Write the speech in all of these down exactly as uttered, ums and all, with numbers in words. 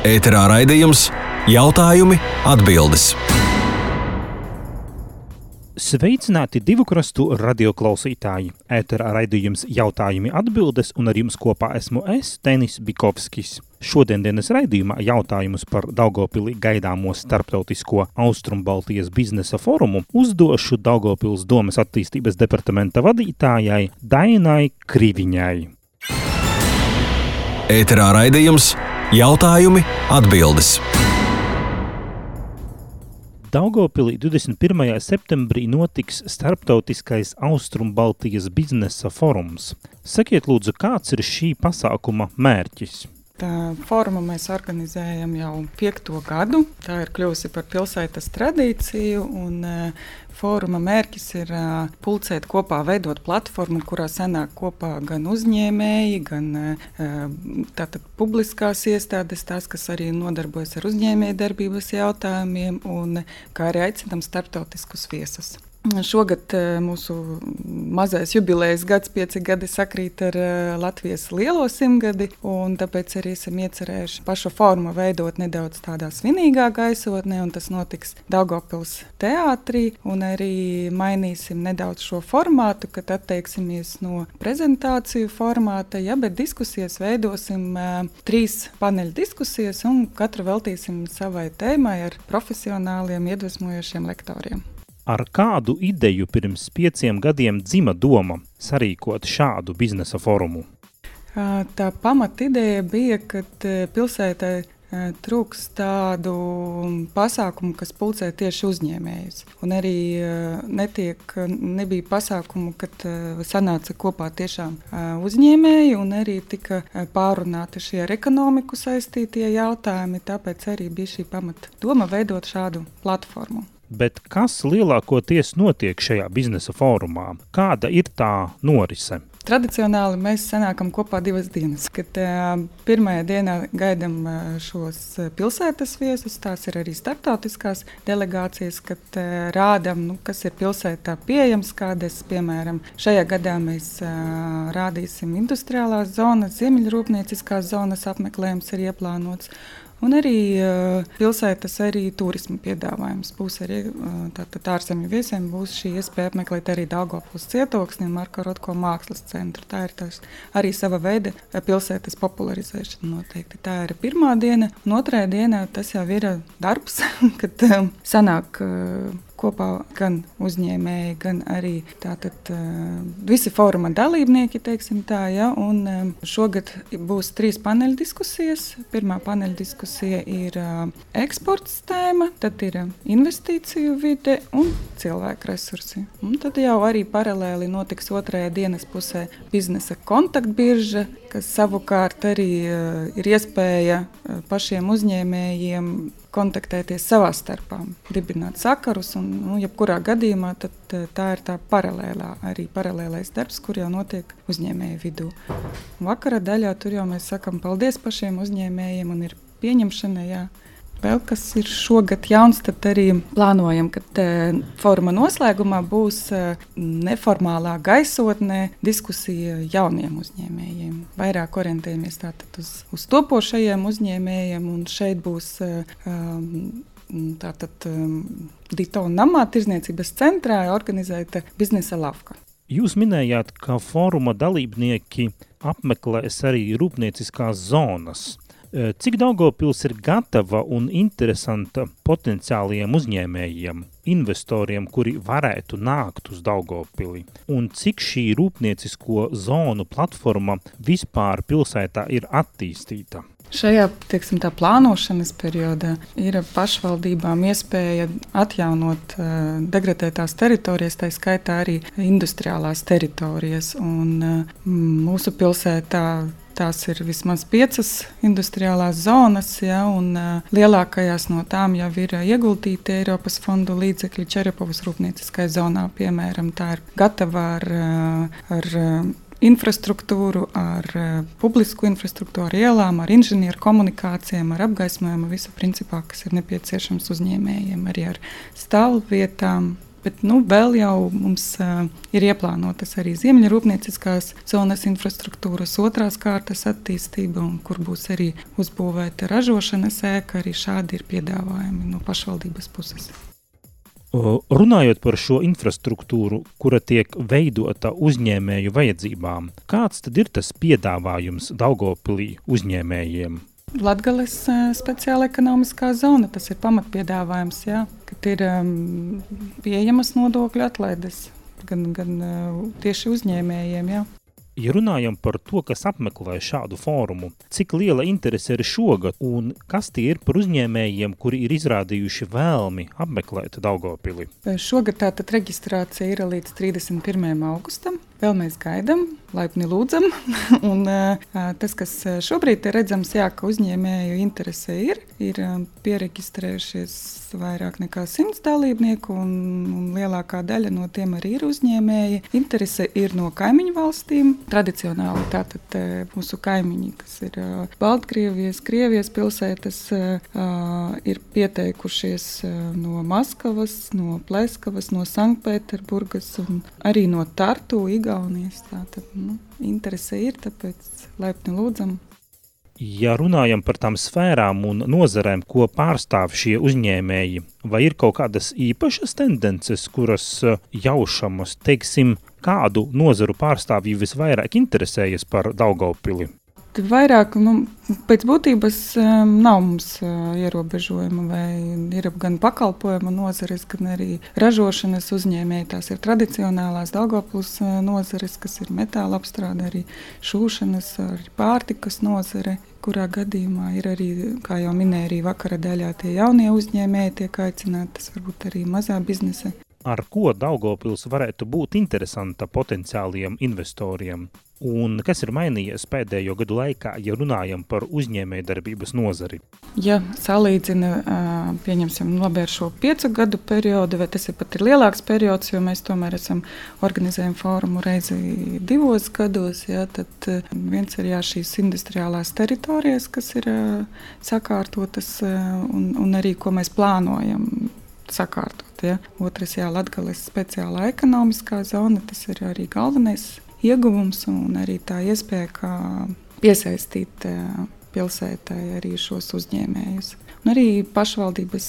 Ēterā raidījums Jautājumi, atbildes. Sveicināti divu krastu radioklausītāji. Ēterā raidījums Jautājumi, atbildes, un ar jums kopā esmu es, Tenis Bikovskis. Šodien dienas raidījumā jautājumus par Daugavpilī gaidāmo starptautisko Austrumbaltijas biznesa forumu uzdošu Daugavpils domes attīstības departamenta vadītājai Dainai Kriviņai. Ēterā raidījums Jautājumi, atbildes. Daugavpilī divdesmit pirmajā septembrī notiks starptautiskais Austrumbaltijas biznesa forums. Sakiet lūdzu, kāds ir šī pasākuma mērķis? Tā formu mēs organizējam jau piekto gadu. Tā ir kļuvusi par pilsētas tradīciju, un uh, foruma mērķis ir uh, pulcēt kopā, veidot platformu, kurā sanāk kopā gan uzņēmēji, gan uh, tātad publiskās iestādes, tās, kas arī nodarbojas ar uzņēmēju darbības jautājumiem, un kā arī aicinam starptautiskus viesus. Šogad mūsu mazais jubilejas gads, pieci gadi sakrīt ar Latvijas lielo simtgadi, un tāpēc arī esam iecerējuši pašu formu veidot nedaudz tādā svinīgā gaisotnē, un tas notiks Daugavpils teātrī, un arī mainīsim nedaudz šo formātu, kad atteiksimies no prezentāciju formāta, ja, bet diskusijas veidosim uh, trīs paneļu diskusijas, un katru veltīsim savai tēmai ar profesionāliem, iedvesmojošiem lektoriem. Ar kādu ideju pirms pieciem gadiem dzima doma sarīkot šādu biznesa forumu? Tā pamatideja bija, kad pilsētai trūks tādu pasākumu, kas pulcē tieši uzņēmējus. Un arī netiek, nebija pasākumu, kad sanāca kopā tiešām uzņēmēji, un arī tika pārunāti šie ar ekonomiku saistītie jautājumi, tāpēc arī bija šī pamata doma veidot šādu platformu. Bet kas lielākoties notiek šajā biznesa fórumā? Kāda ir tā norise? Tradicionāli mēs sanākam kopā divas dienas, kad uh, pirmajā dienā gaidam uh, šos pilsētas viesus, tās ir arī starptautiskās delegācijas, kad uh, rādam, nu, kas ir pilsētā pieejams, kādas, piemēram, šajā gadā mēs uh, rādīsim industriālās zonas, ziemeļrūpnieciskās zonas apmeklējums ir ieplānots. Un arī uh, pilsētas arī turisma piedāvājums būs arī uh, tātad ārzemju viesiem būs šī iespēja apmeklēt arī Daugavpils cietoksni un Marka Rotko mākslas centru. Tā ir tās arī sava veida pilsētas popularizēšana noteikti. Tā ir pirmā diena, un otrajā dienā tas jau ir darbs, kad uh, sanāk uh, kopā gan uzņēmēji, gan arī tātad uh, visi fóruma dalībnieki, teiksim tā, ja, un um, šogad būs trīs paneļu diskusijas. Pirmā paneļu diskusija ir uh, eksports tēma, tad ir uh, investīciju vide un cilvēku resursi. Un tad jau arī paralēli notiks otrajā dienas pusē biznesa kontaktbirža, kas savukārt arī uh, ir iespēja uh, pašiem uzņēmējiem kontaktēties savā starpā, dibināt sakarus, un nu, jebkurā gadījumā tad tā ir tā paralēlā, arī paralēlais darbs, kur jau notiek uzņēmēju vidū. Vakara daļā tur jau mēs sakam paldies pašiem uzņēmējiem un ir pieņemšana, jā. Vēl kas ir šogad jauns, tad arī plānojam, ka foruma noslēgumā būs neformālā gaisotnē diskusija jauniem uzņēmējiem. Vairāk orientējamies tātad uz, uz topošajiem uzņēmējiem, un šeit būs um, tātad um, Dito namā tirzniecības centrā organizēta biznesa lavka. Jūs minējāt, ka foruma dalībnieki apmeklēs arī rūpnieciskās zonas. Cik Daugavpils ir gatava un interesanta potenciāliem uzņēmējiem, investoriem, kuri varētu nākt uz Daugavpili? Un cik šī rūpniecisko zonu platforma vispār pilsētā ir attīstīta? Šajā, teiksim, tā plānošanas periodā ir pašvaldībām iespēja atjaunot uh, degradētās teritorijas, tā skaitā arī industriālās teritorijas. Un uh, mūsu pilsētā tās ir vismaz piecas industriālās zonas, ja, un uh, lielākajās no tām jau ir ieguldīti Eiropas fondu līdzekļi Čerepovas rūpnieciskai zonā, piemēram. Tā ir gatava ar, uh, ar uh, infrastruktūru, ar uh, publisku infrastruktūru, ar ielām, ar inženieru komunikācijām, ar apgaismojumu, visu principā, kas ir nepieciešams uzņēmējiem, arī ar stāvvietām, Bet nu, vēl jau mums uh, ir ieplānotas arī ziemeļrūpnieciskās zonas infrastruktūras otrās kārtas attīstība, un kur būs arī uzbūvēta ražošanas ēka, arī šādi ir piedāvājumi no pašvaldības puses. Runājot par šo infrastruktūru, kura tiek veidota uzņēmēju vajadzībām, kāds tad ir tas piedāvājums Daugavpilī uzņēmējiem? Latgales speciāla ekonomiskā zona, tas ir pamatpiedāvājums, jā, kad ir um, pieejamas nodokļu atlaides gan, gan uh, tieši uzņēmējiem, jā. Ja runājam par to, kas apmeklē šādu fórumu, cik liela interese ir šogad un kas tie ir par uzņēmējiem, kuri ir izrādījuši vēlmi apmeklēt Daugavpili? Šogad tātad reģistrācija ir līdz trīsdesmit pirmajam augustam. Vēl mēs gaidām, laipni lūdzam. Un, tas, kas šobrīd ir redzams, jā, ka uzņēmēju interese ir, ir pieregistrējušies vairāk nekā simts dalībnieku, un, un lielākā daļa no tiem arī ir uzņēmēji. Interese ir no kaimiņu valstīm. Tradicionāli tātad mūsu kaimiņi, kas ir Baltkrievijas, Krievijas pilsētas, ir pieteikušies no Maskavas, no Pleskavas, no Sanktpēterburgas un arī no Tartu, Igaunijas. Tātad, nu, interese ir, tāpēc laipni lūdzam. Ja runājam par tām sfērām un nozarēm, ko pārstāv šie uzņēmēji, vai ir kaut kādas īpašas tendences, kuras jaušamas, teiksim, kādu nozaru pārstāvji visvairāk interesējas par Daugavpili? Vairāk, nu, pēc būtības um, nav mums uh, ierobežojuma, vai ir gan pakalpojuma nozares, gan arī ražošanas uzņēmēji. Tās ir tradicionālās Daugavpils uh, nozares, kas ir metāla apstrāde, arī šūšanas, arī pārtikas nozare, kurā gadījumā ir arī, kā jau minēja, arī vakara daļā tie jaunie uzņēmēji tiek aicināti, tas varbūt arī mazā biznesa. Ar ko Daugavpils varētu būt interesanta potenciāliem investoriem? Un kas ir mainījies pēdējo gadu laikā, ja runājam par uzņēmējdarbības nozari? Ja salīdzina, pieņemsim, labi ar šo piecu gadu periodu, vai tas ir pat ir lielāks periods, jo mēs tomēr esam organizējam fórumu reizi divos gados, ja, tad viens ir jā, šīs industriālās teritorijas, kas ir sakārtotas un, un arī, ko mēs plānojam sakārtot. Ja. Otrs, jā, Latgales speciālā ekonomiskā zona, tas ir arī galvenais ieguvums un arī tā iespēja, kā piesaistīt pilsētai arī šos uzņēmējus. Un arī pašvaldības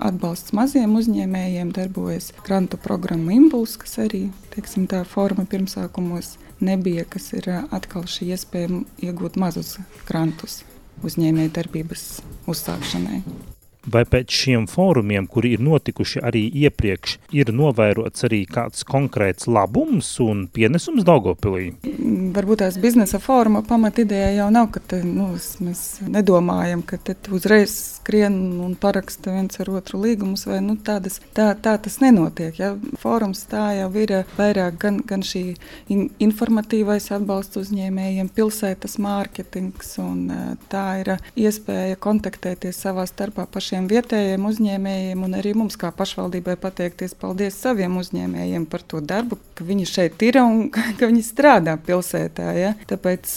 atbalsts maziem uzņēmējiem darbojas grantu programma Impuls, kas arī, teiksim, tā forma pirmsākumos nebija, kas ir atkal šī iespēja iegūt mazus grantus uzņēmēju darbības uzsākšanai. Vai pēc šiem fórumiem, kuri ir notikuši arī iepriekš, ir novērots arī kāds konkrēts labums un pienesums Daugavpilī? Varbūt tās biznesa fóruma pamatideja jau nav, ka te, nu, mēs nedomājam, ka te uzreiz skrien un paraksta viens ar otru līgumus, vai nu, tādas, tā, tā tas nenotiek. Ja? Fórums tā jau ir vairāk gan, gan šī in, informatīvais atbalsts uzņēmējiem, pilsētas mārketings, un tā ir iespēja kontaktēties savā starpā pašiem vietējiem uzņēmējiem un arī mums kā pašvaldībai pateikties paldies saviem uzņēmējiem par to darbu, ka viņi šeit ir un ka viņi strādā pilsētā. Ja? Tāpēc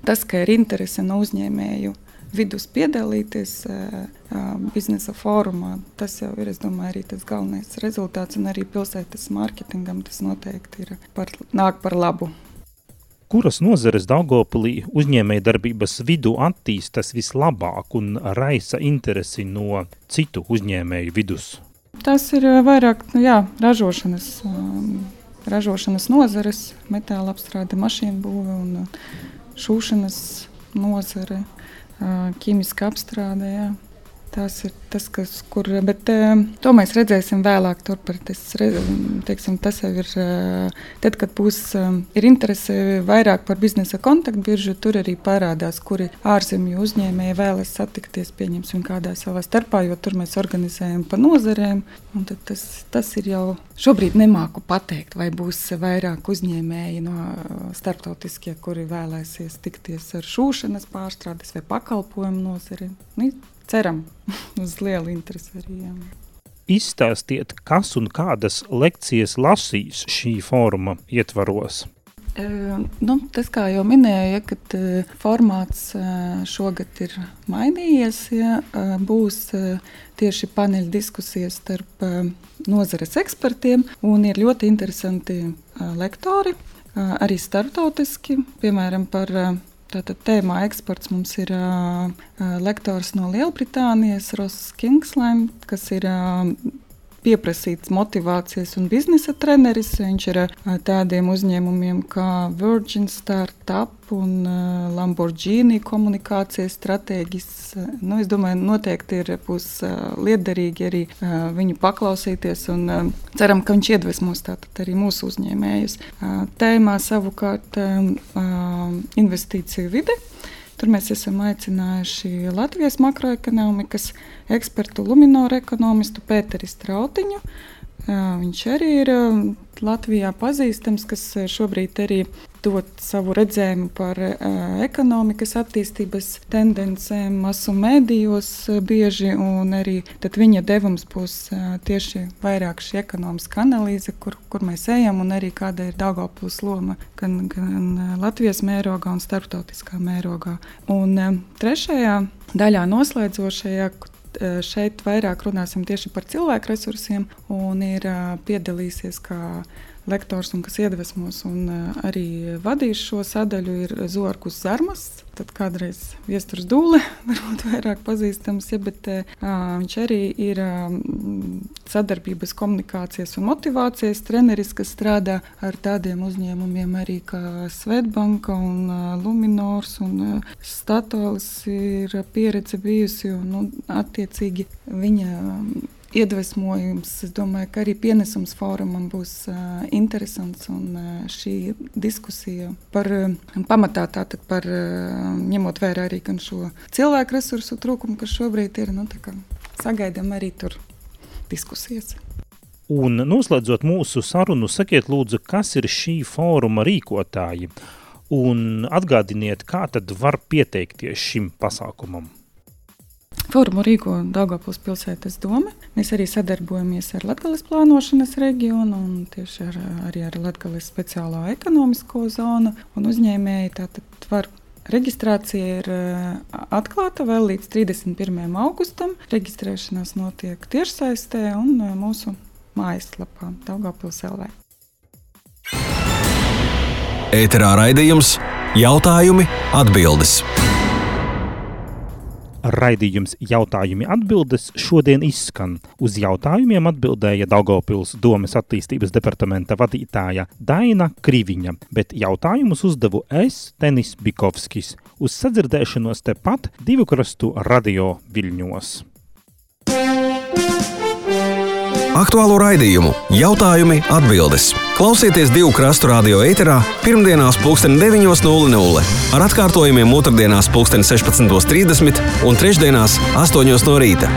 tas, ka ir interese no uzņēmēju vidus piedalīties biznesa fórumā, tas jau ir, es domāju, arī tas galvenais rezultāts un arī pilsētas mārketingam tas noteikti ir par, nāk par labu. Kuras nozares Daugavpilī uzņēmējdarbības vidu attīstas vislabāk un raisa interesi no citu uzņēmēju vidus? Tas ir vairāk, nu jā, ražošanas, ražošanas nozares, metāla apstrāde, mašīnu būve un šūšanas nozare, ķīmiska apstrāde, jā. Tas ir tas, kas, kur, bet to mēs redzēsim vēlāk turpret. Teiksim, tas jau ir, tad, kad būs ir interese vairāk par biznesa kontaktbiržu, tur arī parādās, kuri ārzemju uzņēmēji vēlas satikties, pieņemsim kādā savā starpā, jo tur mēs organizējam pa nozarēm. Un tad tas, tas ir jau, šobrīd nemāku pateikt, vai būs vairāk uzņēmēji no starptautiskie, kuri vēlēsies tikties ar šūšanas pārstrādes vai pakalpojumu nozari. Nu, ceram uz lielu interesi arī. Jā. Izstāstiet, kas un kādas lekcijas lasīs šī fóruma ietvaros? Nu, tas, kā jau minēju, ja, kad formāts šogad ir mainījies, ja, būs tieši paneļa diskusijas starp nozares ekspertiem, un ir ļoti interesanti lektori, arī starptautiski, piemēram, par tātad tēmā eksperts mums ir lektors no Lielbritānijas, Ross Kingsland, kas ir pieprasīts motivācijas un biznesa treneris. Viņš ir tādiem uzņēmumiem kā Virgin Startup un Lamborghini komunikācijas stratēģis. Nu, es domāju, noteikti ir būs liederīgi arī viņu paklausīties un ceram, ka viņš iedvesmos tātad arī mūsu uzņēmējus. Tēmā savukārt investīciju vide. Tur mēs esam aicinājuši Latvijas makroekonomikas ekspertu, Luminor ekonomistu Pēteri Strautiņu. Viņš arī ir Latvijā pazīstams, kas šobrīd arī dod savu redzējumu par ekonomikas attīstības tendencēm masu mēdījos bieži, un arī tad viņa devums būs tieši vairāk šī ekonomiska analīze, kur, kur mēs ejam, un arī kāda ir Daugavpils loma gan, gan Latvijas mērogā un starptautiskā mērogā. Un trešajā daļā noslēdzošajā šeit vairāk runāsim tieši par cilvēku resursiem, un ir piedalīsies kā lektors un kas iedvesmos un arī vadīs šo sadaļu ir Zorkus Zarmas, tad kādreiz Viesturs Dūle, varbūt vairāk pazīstams, ja, bet ā, viņš arī ir ā, sadarbības komunikācijas un motivācijas treneris, kas strādā ar tādiem uzņēmumiem arī kā Svetbanka un ā, Luminors un ā, Statoils ir pieredze bijusi un nu, attiecīgi viņa iedvesmojums, es domāju, ka arī pienesums fórumam būs uh, interesants un uh, šī diskusija par uh, pamatā tātad par uh, ņemot vērā arī gan šo cilvēku resursu trūkumu, kas šobrīd ir, nu tā kā sagaidām arī tur diskusijas. Un noslēdzot mūsu sarunu, sakiet lūdzu, kas ir šī fóruma rīkotāji un atgādiniet, kā tad var pieteikties šim pasākumam. Fórumu rīko Daugavpils pilsētas doma. Mēs arī sadarbojamies ar Latgales plānošanas reģionu un tieši ar, arī ar Latgales speciālo ekonomisko zonu. Un uzņēmēji tātad var reģistrācija ir atklāta vēl līdz trīsdesmit pirmajam augustam. Reģistrēšanās notiek tiešsaistē un mūsu mājaslapā Daugavpils L V. Ēterā raidījums Jautājumi, atbildes. Raidījums Jautājumi atbildes šodien izskan. Uz jautājumiem atbildēja Daugavpils domes attīstības departamenta vadītāja Daina Kriviņa, bet jautājumus uzdevu es, Tenis Bikovskis. Uz sadzirdēšanos tepat Divu krastu radio Viļņos. Aktuālo raidījumu Jautājumi, atbildes. Klausieties Divu krastu radio ēterā pirmdienās pulksten deviņos nulle nulle, ar atkārtojumiem otrdienās pulksten sešpadsmitos trīsdesmit un trešdienās astoņos no rīta.